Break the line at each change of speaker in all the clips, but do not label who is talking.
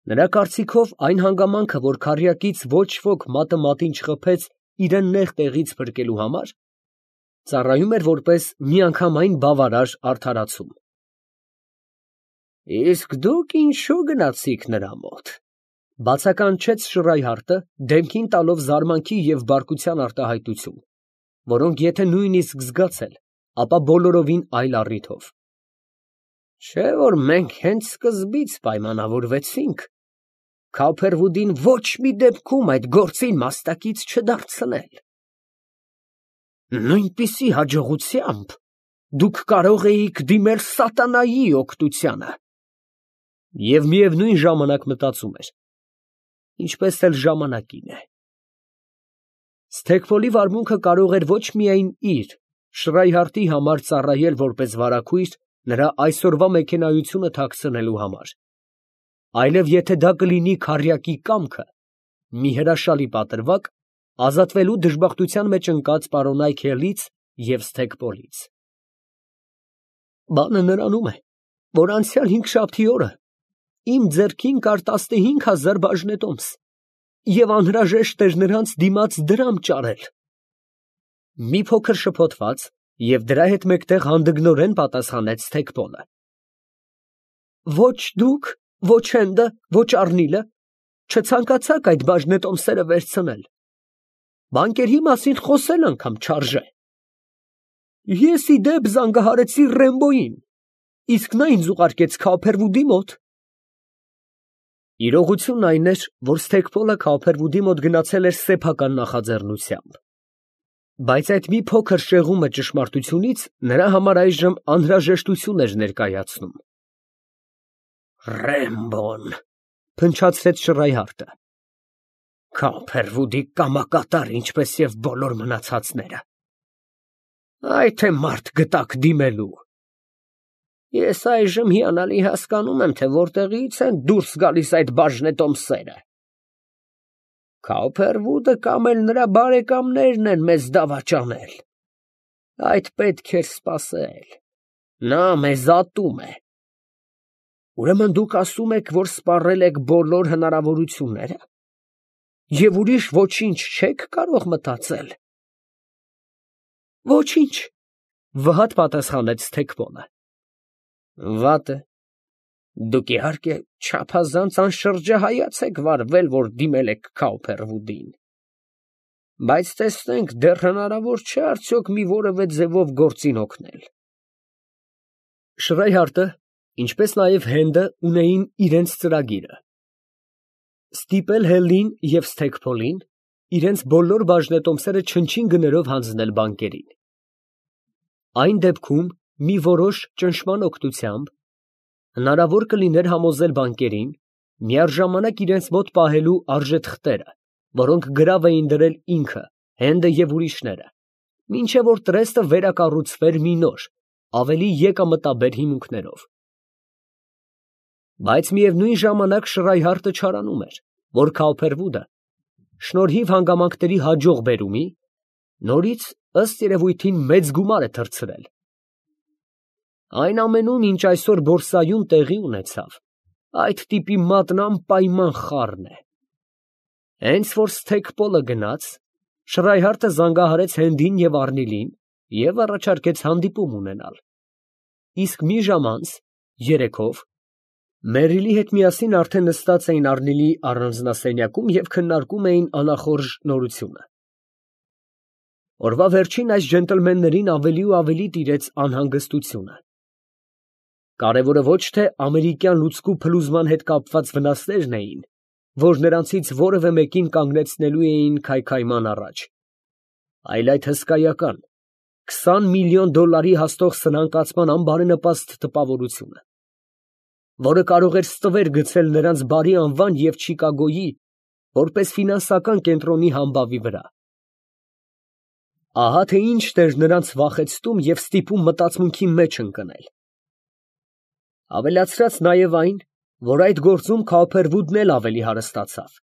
Նրա կարծիքով այն հանգամանքը, որ քառյակից ոչ ոք մատը մատին չխփեց իրան նեղ տեղից փրկելու համար, ծառայում էր որպես միանգամայն բավարար արդարացում։ Իսկ դուք ինչու գնացիք նրա մոտ, բացականչեց Շրայհարտը, դեմքին տալով զարմանքի և բարկության արտահայտություն, որոնք եթե նույնիսկ զգացել, ապա բոլորովին այլ առիթով։ Չէ՞ որ մենք հենց սկզբից պայմանավորվեցինք Քոփերվուդին ոչ մի դեպքում այդ գործին մասնակից չդարձնել։ Նույնպիսի հաջողությամբ դուք կարող էիք դիմել սատանայի օգնությանը։ Եվ միևնույն ժամանակ մտածում էր. ինչպես էլ ժամանակին է։ Սթեքփոլի վարմունքը կարող էր ոչ միայն իր, Շրայհարտի համար ծառայել որպես վարագույր նրա այսօրվա մեքենայությունը թաքցնելու համար, այլև եթե դա կլինի քառյակի կամքը, մի հրաշալի պատրվակ, ազատվելու դժբախտության մեջ ընկած պարոնայք Հելից և Սթեքպոլից։ Բանը նրանում է, որ անցյալ հինգշաբթի օրը իմ ձեռքին կար 15,000 բաժնետոմս, և անհրաժեշտ էր նրանց դիմաց դրամ ճարել։ Մի փոքր շփոթված և դրա հետ մեկտեղ հանդգնորեն պատասխանեց Սթեքպոլը. Ոչ դուք, ոչ Հենդը, ոչ Առնիլը չցանկացաք այդ բաժնետոմսերը վերցնել։ Բանկերի մասին խոսել անգամ չարժե։ Ես ի դեպ զանգահարեցի Ռեմբոյին, իսկ նա ինձ ուղարկեց Քոփերվուդի մոտ։ Իրողությունն այն էր, որ Սթեքպոլը Քոփերվուդի մոտ գնացել էր սեփական նախաձեռնությամբ, բայց այդ մի փոքր շեղումը ճշմարտությունից նրա համար այժմ անհրաժեշտություն էր ներկայացնում։ Ռեմբոն, փնչացրեց Շրայհարտը, Քոփերվուդի կամակատար, ինչպես և բոլոր մնացածները։ Այ թե մարդ գտաք դիմելու։ Ես այժմ հիանալի հասկանում եմ, թե որտեղից են դուրս գալիս այդ բաժնետոմսերը։ Քոփերվուդը կամ էլ նրա բարեկամներն են մեզ դավաճանել։ Այդ պետք էր սպասել։ Նա մեզ ատում է։ Ուրեմն դուք ասում եք, որ սպառել եք բոլոր հնարավորությունները և ուրիշ ոչինչ չեք կարող մտածել։ Ոչինչ, վհատ պատասխանեց Սթեքպոլը։ Վատ է։ Դուք իհարկե չափազանց անշրջահայաց եք վարվել, որ դիմել եք Քոփերվուդին։ Բայց տեսնենք, դեռ հնարավոր չէ արդյոք մի որևէ ձևով գործին օգնել։ Շրայհարտը, ինչպես նաև Հենդը ունեին իրենց ծրագիրը. ստիպել Հելին և Սթեքփոլին իրենց բոլոր բաժնետոմսերը չնչին գներով հանձնել բանկերին։ Այն դեպքում մի որոշ ճնշման օգնությամբ հնարավոր կլիներ համոզել բանկերին միաժամանակ իրենց մոտ պահելու արժեթղթերը, որոնք գրավ էին դրել ինքը, Հենդը և ուրիշները, մինչև որ տրեստը վերակառուցվեր մի նոր, ավելի եկամտաբեր հիմունքներով։ Բայց միևնույն ժամանակ Շրայհարտը չարանում էր, որ Քոփերվուդը, շնորհիվ հանգամանքների հաջող բերումի, նորից ըստ երևույթին մեծ գումար է թռցրել։ Այն ամենում, ինչ այսօր բորսայում տեղի ունեցավ, այդ տիպի մատն անպայման խառն է։ Հենց որ Սթեքպոլը գնաց, Շրայհարտը զանգահարեց Հենդին և Առնիլին և առաջարկեց հանդիպում ունենալ։ Իսկ մի ժամ անց, երեքով, Մերիլի հետ միասին արդեն նստած էին Առնիլի առանձնասենյակում և քննարկում էին անախորժ նորությունը։ Օրվա վերջին այս ջենտլմեններին ավելի ու ավելի տիրեց անհանգստությունը։ Կարևորը ոչ թե ամերիկյան լուծկու փլուզման հետ կապված վնասներն էին, որ նրանցից որևէ մեկին կանգնեցնելու էին քայքայման առաջ, այլ այդ հսկայական $20 միլիոն հասնող սնանկացման անբարենպաստ տպավորությունը, որը կարող էր ստվեր գցել նրանց բարի անվան և Չիկագոյի, որպես ֆինանսական կենտրոնի համբավի վրա։ Ահա թե ինչն էր նրանց վախեցնում և ստիպում մտածմունքի մեջ ընկնել։ Ավելացրած նաև այն, որ այդ գործում Քոփերվուդն էլ ավելի հարստացավ։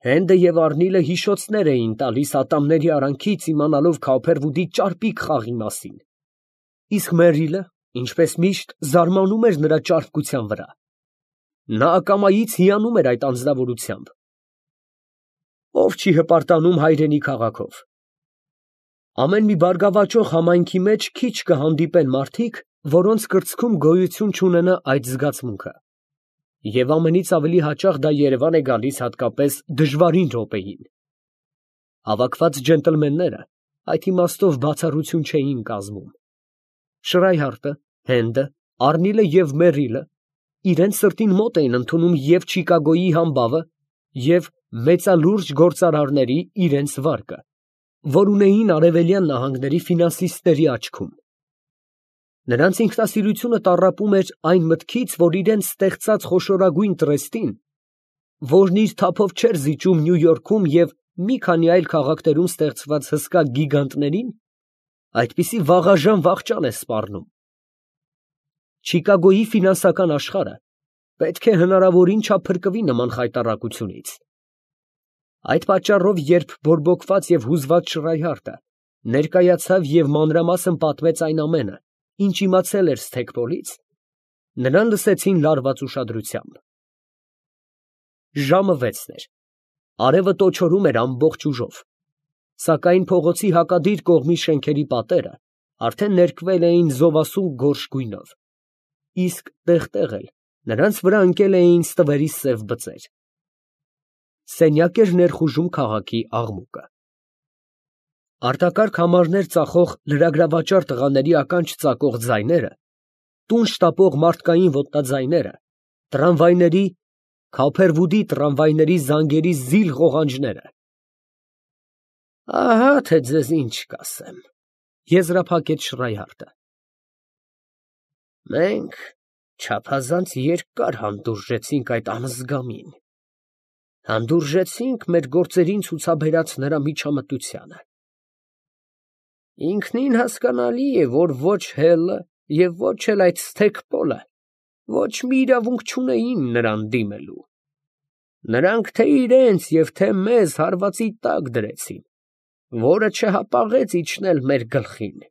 Հենդը և Առնիլը հիշոցներ էին տալիս ատամների արանքից, իմանալով Քոփերվուդի ճարպիկ խաղի մասին, իսկ Մերիլը, ինչպես միշտ, զարմանում էր նրա ճարպկության վրա։ Նա ակամայից հիանում էր այդ անձնավորությամբ։ Ով չի հպարտանում հայրենի քաղաքով։ Ամեն մի բարգավաճող համայնքի մեջ քիչ կհանդիպեն մարդիկ, որոնց կրծքում գոյություն չունենա այդ զգացմունքը։ Եվ ամենից ավելի հաճախ դա Երևան է գալիս հատկապես դժվարին րոպեին։ Հավաքված ջենտլմենները այդ իմաստով բացառություն չէին կազմում։ Շրայհարտը, Հենդը, Արնիլը և Մերիլը իրենց սրտին մոտ էին ընդունում և Չիկագոյի համբավը, և մեծալուրջ գործարարների իրենց վարկը, որ ունեին արևելյան նահանգների ֆինանսիստների աչքում։ Նրանց ինքնասիրությունը տառապում էր այն մտքից, որ իրենց ստեղծած խոշորագույն տրեստին, որն իր թափով չէր զիջում Նյու Յորքում և մի քանի այլ քաղաքներում ստեղծված հսկա գիգանտներին, այդպիսի վաղաժամ վախճան է սպառնում։ Չիկագոյի ֆինանսական աշխարհը պետք է հնարավորին չափ փրկվի նման խայտառակությունից։ Այդ պատճառով, երբ բորբոքված և հուզված Շրայհարտը ներկայացավ և մանրամասն պատմեց այն ամենը, ինչ իմացել էր Սթեքպոլից, նրան լսեցին լարված ուշադրությամբ։ Ժամը 6-ն էր, արևը տոչորում էր ամբողջ ուժով, սակայն փողոցի հակադիր կողմի շենքերի պատերը արդեն ներկվել էին զովասուն գորշ գույնով, իսկ տեղ֊տեղ էլ նրանց վրա ընկել էին ստվերի սև բծեր։ Սենյակ էր ներխուժում քաղաքի աղմուկը։ Արտակարգ համարներ ծախող լրագրավաճառ տղաների ականջ ծակող ձայները, տուն շտապող մարդկային ոտնաձայները, տրամվայների, Քոփերվուդի տրամվայների զանգերի զիլ ղողանջները։ Ահա թե ձեզ ինչ կասեմ, եզրափակեց Շրայհարտը։ Մենք չափազանց երկար հանդուրժեցինք այդ անզգամին, հանդուրժեցինք մեր գործերին ցուցաբերած նրա միջամտությանը։ Ինքնին հասկանալի է, որ ոչ Հելը և ոչ էլ այդ Սթեքպոլը ոչ մի իրավունք չունեին նրան դիմելու։ Նրանք թե իրենց և թե մեզ հարվածի տակ դրեցին, որը չհապաղեց իջնել մեր գլխին։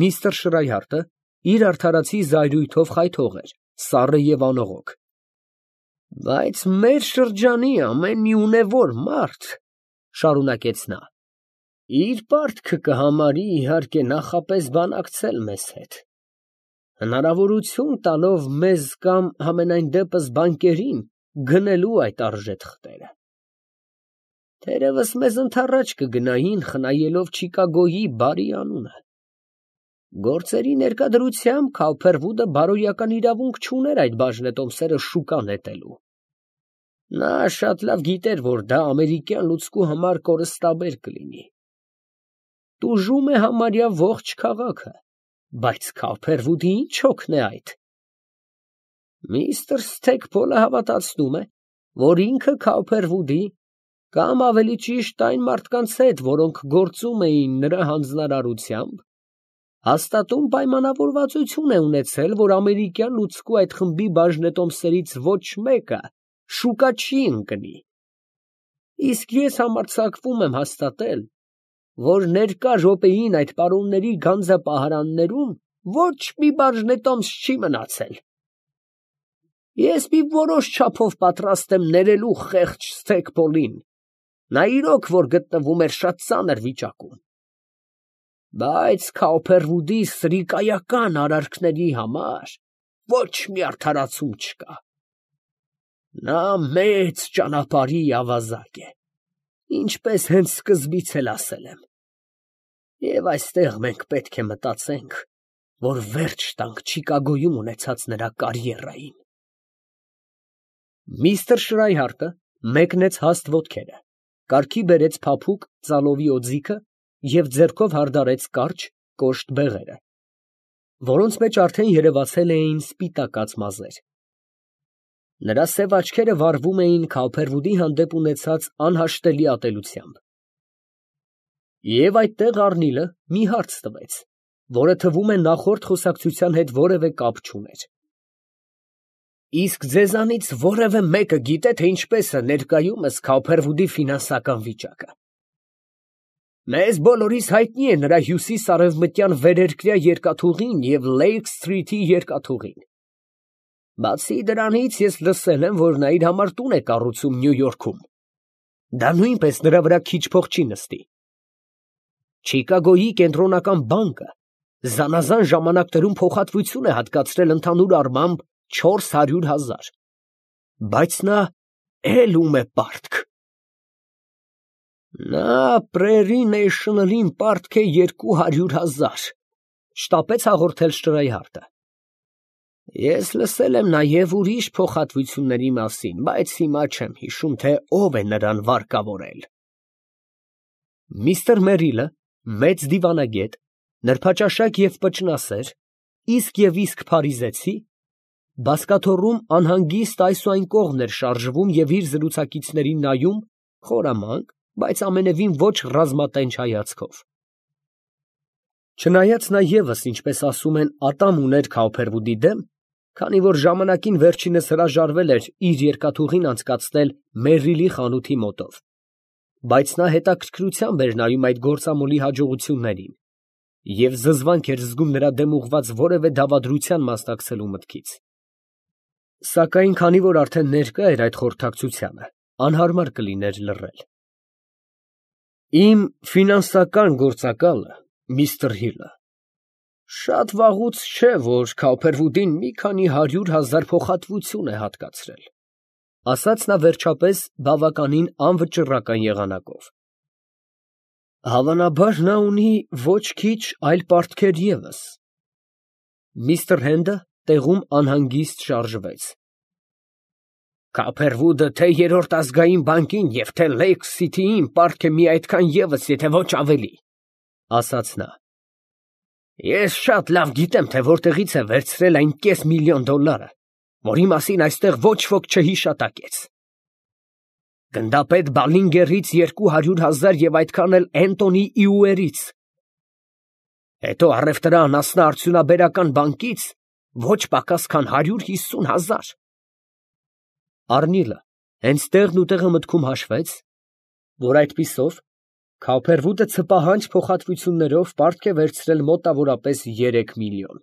Միսթր Շրայհարտը իր արդարացի զայրույթով խայթող էր, սառը և անողոք։ Բայց մեր շրջանի ամեն մի ունևոր մարդ, շարունակեց նա, իր պարտքը կհամարի իհարկե նախապես բանակցել մեզ հետ, հնարավորություն տալով մեզ կամ համենայն դեպս բանկերին գնելու այդ արժեթ խտերը։ Թերևս մեզ ընդառաջ կգնային, խնայելով Չիկագոյի բարի անունը։ Գործերի ներկա դրությամբ Քոփերվուդը բարոյական իրավունք չուներ այդ բաժնետոմսերը շուկա նետելու։ Նա շատ լավ գիտեր, որ դա ամերիկյան լուցկու համար կորստաբեր կլինի։ Տուժում է համարյա ողջ քաղաքը, բայց Քոփերվուդի ինչ հոգն է այդ։ Միսթր Սթեքպոլը հավատացնում է, որ ինքը Քոփերվուդի, կամ ավելի ճիշտ այն մարդկանց հետ, որոնք գործում էին նրա հանձնարարությամբ, հաստատուն պայմանավորվածություն է ունեցել, որ ամերիկյան լուցկու այդ խմբի բաժնետոմսերից ոչ մեկը շուկա չի ընկնի։ Իսկ ես համարձակվում եմ հաստատել, որ ներկա րոպեին այդ պարոնների գանձապահարաններում ոչ մի բաժնետոմս չի մնացել։ Ես մի որոշ չափով պատրաստ եմ ներելու խեղճ Սթեքպոլին, նա իրոք որ գտնվում էր շատ ծանր վիճակում, բայց Քոփերվուդի սրիկայական արարքների համար ոչ մի արդարացում չկա։ Նա մեծ ճանապարհի ավազակ է, ինչպես հենց սկզբից էլ ասել եմ, և այստեղ մենք պետք է մտածենք, որ վերջ տանք Չիկագոյում ունեցած նրա կարիերային։ Միսթր Շրայհարտը մեկնեց հաստ ոտքերը, կարգի բերեց փափուկ ծալովի օձիքը և ձեռքով հարդարեց կարճ, կոշտ բեղերը, որոնց մեջ արդեն երևացել էին սպիտակած մազեր։ Նրա սև աչքերը վառվում էին Քոփերվուդի հանդեպ ունեցած անհաշտելի ատելությամբ։ Եվ այդտեղ Արնիլը մի հարց տվեց, որը թվում է նախորդ խոսակցության հետ որևէ կապ չուներ։ Իսկ ձեզանից որևէ մեկը գիտե, թե ինչպես է ներկայումս Քոփերվուդի ֆինանսական վիճակը։ Մեզ բոլորիս հայտնի է նրա հյուսիս֊արևմտյան վերերկրյա երկաթուղին և Լեյք Սթրիթի երկաթուղին։ Բացի դրանից ես լսել եմ, որ նա իր համար տուն է կառուցում Նյու Յորքում։ Դա նույնպես նրա վրա քիչ փող չի նստի։ Չիկագոյի կենտրոնական բանկը զանազան ժամանակներում փոխհատվություն է հատկացրել ընդհանուր առմամբ 400,000, բայց նա ելում է պարտք։ Նա Prairie National-ին պարտք է 200,000, շտապեց հաղորդել Շտրայհարդը։ Ես լսել եմ նաև ուրիշ փոխհատվությունների մասին, բայց հիմա չեմ հիշում, թե ով է նրան վարկավորել։ Միստր Մերիլը, մեծ դիվանագետ, նրբաճաշակ և պճնասեր, իսկ և իսկ փարիզեցի, բազկաթոռում անհանգիստ այս ու այն կողմն էր շարժվում և իր զրուցակիցներին նայում խորամանկ, բայց ամենևին ոչ ռազմատենչ հայացքով։ Չնայած նա ևս, ինչպես ասում են, ատամ ուներ Քաուփերվուդի դեմ, քանի որ ժամանակին վերջինս հրաժարվել էր իր երկաթուղին անցկացնել Մերրիլի խանութի մոտով, բայց նա հետաքրքրությամբ էր նայում այդ գործամոլի հաջողություններին և զզվանք էր զգում նրա դեմ ուղղված որևէ դավադրության մասնակցելու մտքից։ Սակայն քանի որ արդեն ներկա էր այդ խորհրդակցությանը, անհարմար կլիներ լռել։ Իմ ֆինանսական գործակալը, միստր Հիլը, շատ վաղուց չէ, որ Քաուփերվուդին մի քանի 100,000 փոխհատվություն է հատկացրել, ասաց նա վերջապես բավականին անվճռական եղանակով։ Հավանաբար նա ունի ոչ քիչ այլ պարտքեր ևս։ Միստր Հենդը տեղում անհանգիստ շարժվեց։ Քաուփերվուդը թե Երրորդ ազգային բանկին և թե Լեյք Սիթիին պարտք է մի այդքան ևս, եթե ոչ ավելի, ասաց նա։ Ես շատ լավ գիտեմ, թե որտեղից է վերցրել այն $500,000, որի մասին այստեղ ոչ ոք չհիշատակեց։ Գնդապետ Բալինգերից 200,000 և այդքան էլ Էնտոնի Իուերից։ Հետո առևտրական անասնա-արդյունաբերական բանկից ոչ պակաս քան 150,000։ Առնիլը հենց տեղն ու տեղը մտքում հաշվեց, որ այդպիսով Քաուփերվուդը ցպահանջ փոխհատվություններով պարտք է վերցրել մոտավորապես 3 միլիոն։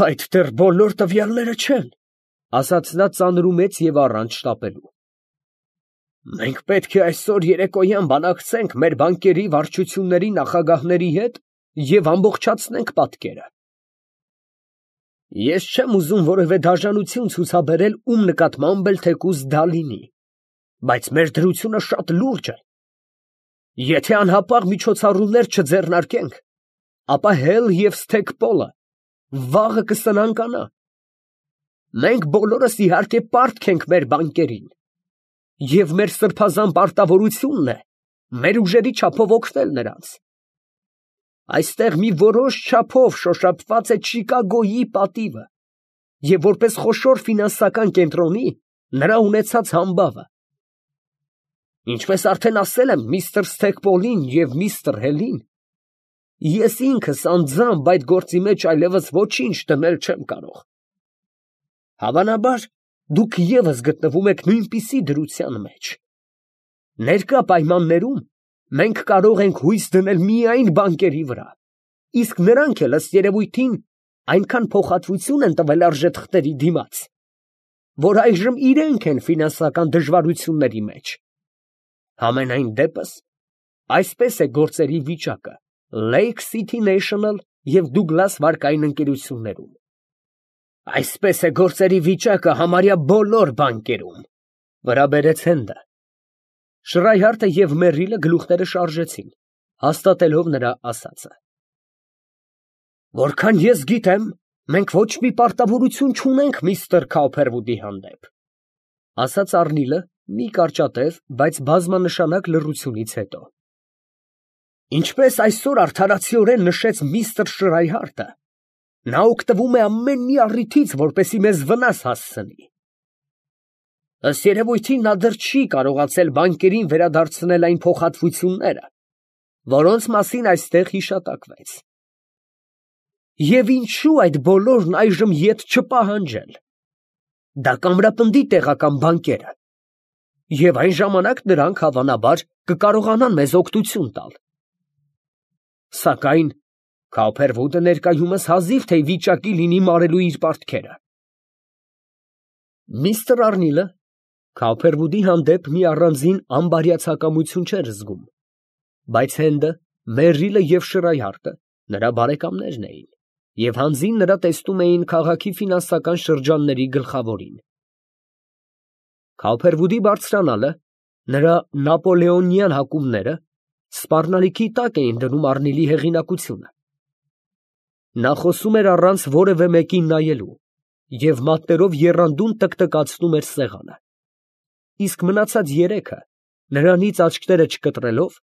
Այդ դեռ բոլոր տվյալները չեն, ասաց նա ծանրումեց և առանց շտապելու։ Մենք պետք է այսօր երեկոյան բանակցենք մեր բանկերի վարչությունների նախագահների հետ և ամբողջացնենք պատկերը։ Ես չեմ ուզում որևէ դաժանություն ցուցաբերել ում նկատմամբ էլ թեկուզ դա լինի, բայց մեր դրությունը շատ լուրջ է։ Եթե անհապաղ միջոցառումներ չձեռնարկենք, ապա Հել և Սթեգպոլը վաղը կսնանկանա։ Մենք բոլորս իհարկե պարտք ենք մեր բանկերին, և մեր սրբազան պարտավորությունն է մեր ուժերի չափով օգնել նրանց։ Այստեղ մի որոշ չափով շոշափված է Չիկագոյի պատիվը և որպես խոշոր ֆինանսական կենտրոնի նրա ունեցած համբավը։ Ինչպես արդեն ասել եմ միստր Սթեգպոլին և միստր Հելին, ես ինքս անձամբ այդ գործի մեջ այլևս ոչինչ դնել չեմ կարող։ Հավանաբար, դուք ևս գտնվում եք նույնպիսի դրության մեջ։ Ներկա պայմաններում մենք կարող ենք հույս դնել միայն բանկերի վրա, իսկ նրանք էլ ըստ երևույթին այնքան փոխհատվություն են տվել արժեթղթերի դիմաց, որ այժմ իրենք են ֆինանսական դժվարությունների մեջ։ Համենայն դեպս, այսպես է գործերի վիճակը Lake City National և Douglas վարկային ընկերություններում։ Այսպես է գործերի վիճակը համարյա բոլոր բանկերում, վրա բերեց Հենդը։ Շրայհարդը և Մերրիլը գլուխները շարժեցին, հաստատելով նրա ասածը։ Որքան ես գիտեմ, մենք ոչ մի պարտավորություն չունենք միստր Քաուփերվուդի հանդեպ, ասաց Առնիլը մի կարճատև, բայց բազմանշանակ լռությունից հետո։ Ինչպես այսօր արդարացիորեն նշեց միստր Շրայհարդը, նա օգտվում է ամեն մի առիթից, որպեսզի մեզ վնաս հասցնի։ Ըստ երևույթին նա դեռ չի կարողացել բանկերին վերադարձնել այն փոխհատվությունները, որոնց մասին այստեղ հիշատակվեց։ Եվ ինչու այդ բոլորն այժմ ետ չպահանջել։ Դա կամրապնդի տեղական բանկերը, և այն ժամանակ նրանք հավանաբար կկարողանան մեզ օգնություն տալ։ Սակայն Քաուփերվուդը ներկայումս հազիվ թե ի վիճակի լինի մարելու իր պարտքերը։ Միսթր Արնիլը Քոուփերվուդի հանդեպ մի առանձին անբարյացակամություն չէր զգում, բայց Հենդը, Մերրիլը և Շրայհարտը նրա բարեկամներն էին և հանձին նրա տեսնում էին քաղաքի ֆինանսական շրջանների գլխավորին։ Քոուփերվուդի բարձրանալը, նրա նապոլեոնյան հակումները սպառնալիքի տակ էին դնում Արնիլի հեղինակությունը։ Նա խոսում էր առանց որևէ մեկին նայելու և մատներով եռանդուն տկտկացնում էր սեղանը, իսկ մնացած երեքը, նրանից աչքերը չկտրելով,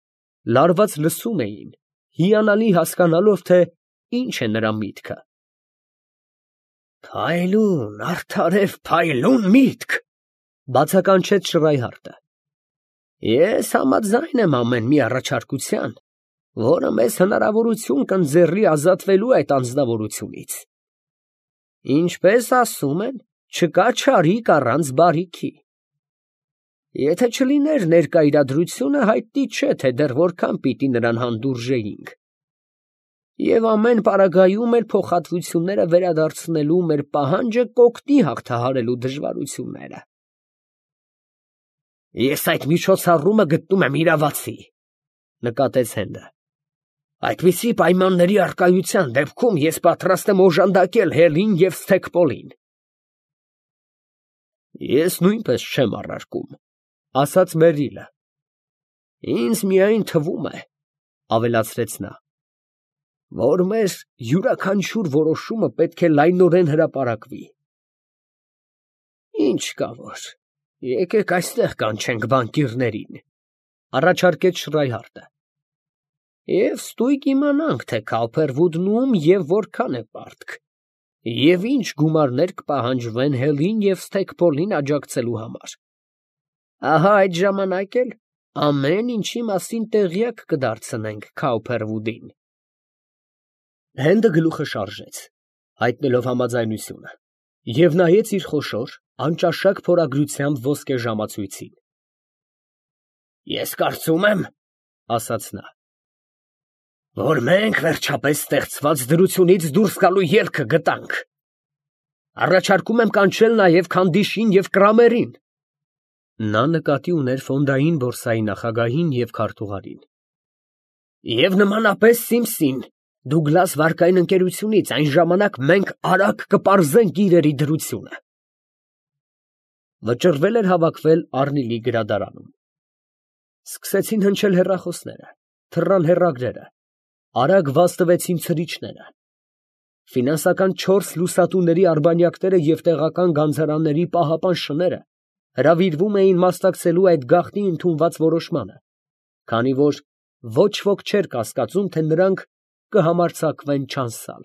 լարված լսում էին, հիանալի հասկանալով, թե ինչ է նրա միտքը։ «Փայլուն, արդարև փայլուն միտք», բացականչեց Շրայհարտը։ «Ես համաձայն եմ ամեն մի առաջարկության, որը մեզ հնարավորություն կընձեռի ազատվելու այդ անձնավորությունից։ Ինչպես ասում են, չկա չարիք առանց բարիքի։ Եթե չլիներ ներկա իրադրությունը, հայտնի չէ, թե դեռ որքան պիտի նրան հանդուրժեինք։ Եվ ամեն պարագայում էլ փոխհատվությունները վերադարձնելու մեր պահանջը կօգնի հաղթահարելու դժվարությունները»։ «Ես այդ միջոցառումը գտնում եմ իրավացի», նկատեց Հենդը։ «Այդպիսի պայմանների առկայության դեպքում ես պատրաստ եմ օժանդակել Հելին և Սթեքպոլին»։ «Ես նույնպես չեմ առարկում», ասաց Մերրիլը։ «Ինձ միայն թվում է, ֊ ավելացրեց նա, ֊ որ մեր յուրաքանչյուր որոշումը պետք է լայնորեն հրապարակվի»։ «Ինչ կա որ, եկեք այստեղ կանչենք բանկիրներին», ֊ առաջարկեց Շրայհարտը, «և ստույգ իմանանք, թե Քոուփերվուդն ում և որքան է պարտք, և ինչ գումարներ կպահանջվեն Հելին և Սթեքպոլին աջակցելու համար։ Ահա այդ ժամանակ էլ ամեն ինչի մասին տեղյակ կդարձնենք Քոուփերվուդին»։ Հենդը գլուխը շարժեց, հայտնելով համաձայնությունը, և նայեց իր խոշոր, անճաշակ փորագրությամբ ոսկե ժամացույցին։ «Ես կարծում եմ, ֊ ասաց նա, ֊ որ մենք վերջապես ստեղծված դրությունից դուրս գալու ելքը գտանք։ Առաջարկում եմ կանչել նաև Քանդիշին և Կրամերին (նա նկատի ուներ ֆոնդային բորսայի նախագահին և քարտուղարին) և նմանապես Սիմսին Դուգլաս վարկային ընկերությունից, այն ժամանակ մենք արագ կպարզենք իրերի դրությունը»։ Վճռվել էր հավաքվել Արնիլի գրադարանում։ Սկսեցին հնչել հեռախոսները, թռան հեռագրերը, արագ վազտվեցին ցրիչները։ Ֆինանսական չորս լուսատուների արբանյակները և տեղական գանձարանների պահապան շները հրավիրվում էին մասնակցելու այդ գաղտնի ընդունված որոշմանը, քանի որ ոչ ոք չէր կասկածում, թե նրանք կհամարձակվեն չանցալ։